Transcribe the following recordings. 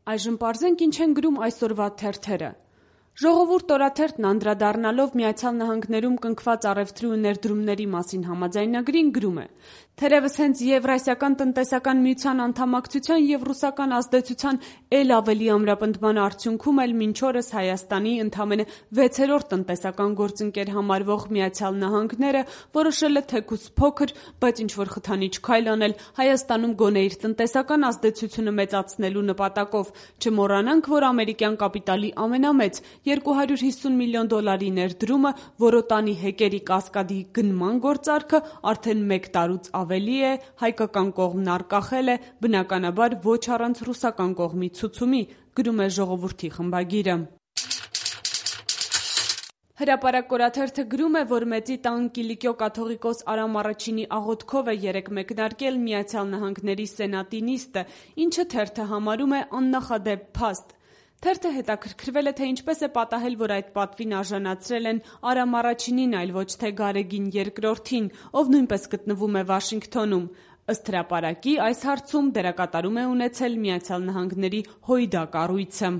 Այժմ պարզենք ինչ են գրում այսօրվա թերթերը։ Ժողովուրդ օրաթերթն անդրադառնալով Միացյալ Նահանգներում կնքված առևտրի ու ներդրումների մասին համաձայնագրին գրում է. «Թերևս հենց Եվրասիական տնտեսական միության անդամակցության և ռուսական ազդեցության էլ ավելի ամրապնդման արդյունքում էլ մինչ օրս Հայաստանի ընդամենը 6-րդ տնտեսական գործընկեր համարվող Միացյալ Նահանգները որոշել է թեկուզ փոքր, բայց ինչ-որ խթանիչ քայլ անել Հայաստանում գոնե իր տնտեսական ազդեցությունը մեծացնելու նպատակով։ Չմոռանանք, որ ամերիկյան կապիտալի ամենամեծ $250 միլիոն ներդրումը, որ օտանի հեկերի կասկադի գնման գործարքը արդեն 1 տարուց ավելի է, հայկական կողմն արկախել է, բնականաբար ոչ առանց ռուսական կողմի ցուցումի», գրում է Ժողովուրդի խմբագիրը։ Հրապարակ օրաթերթը գրում է, որ Մեծի տան Կիլիկիո կաթողիկոս Արամ Առաջինի աղոթքով է երեկ մեկնարկել Միացյալ Նահանգների Սենատի նիստը, ինչը թերթը համարում է աննախադեպ փաստ։ Թերթը հետաքրքրվել է, թե ինչպես է պատահել, որ այդ պատվին արժանացրել են Արամ Առաջինին, այլ ոչ թե Գարեգին II-ին, ով նույնպես գտնվում է Վաշինգթոնում։ Ըստ հրապարակի, այս հարցում դերակատարում է ունեցել Միացյալ Նահանգների հույդա կառույցը։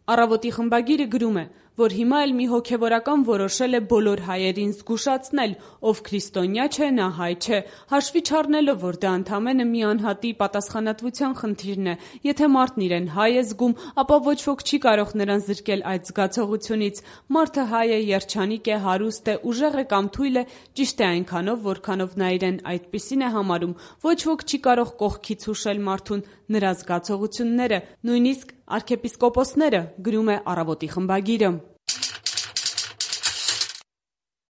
Առավոտի խմբագիրը գրում է, որ հիմա էլ մի հոգևորական որոշել է բոլոր հայերին զգուշացնել, ով քրիստոնյա չէ, նա հայ չէ, հաշվի չառնելով, որ դա ընդամենը մի անհատի պատասխանատվության խնդիրն է։ Եթե մարդն իրեն հայ է զգում, ապա ոչ ոք չի կարող նրան զրկել այդ զգացողությունից։ Մարդը հայ է, երջանիկ է, հարուստ է, ուժեղ է կամ թույլ է, ճիշտ է այնքանով, որքանով նա իրեն այդպիսին է համարում։ Ոչ ոք չի կարող կողքից հուշել մարդուն նրա զգացողությունները, նույնիսկ արքեպիսկոպոսները, գրում է Առավոտի խմբագիրը։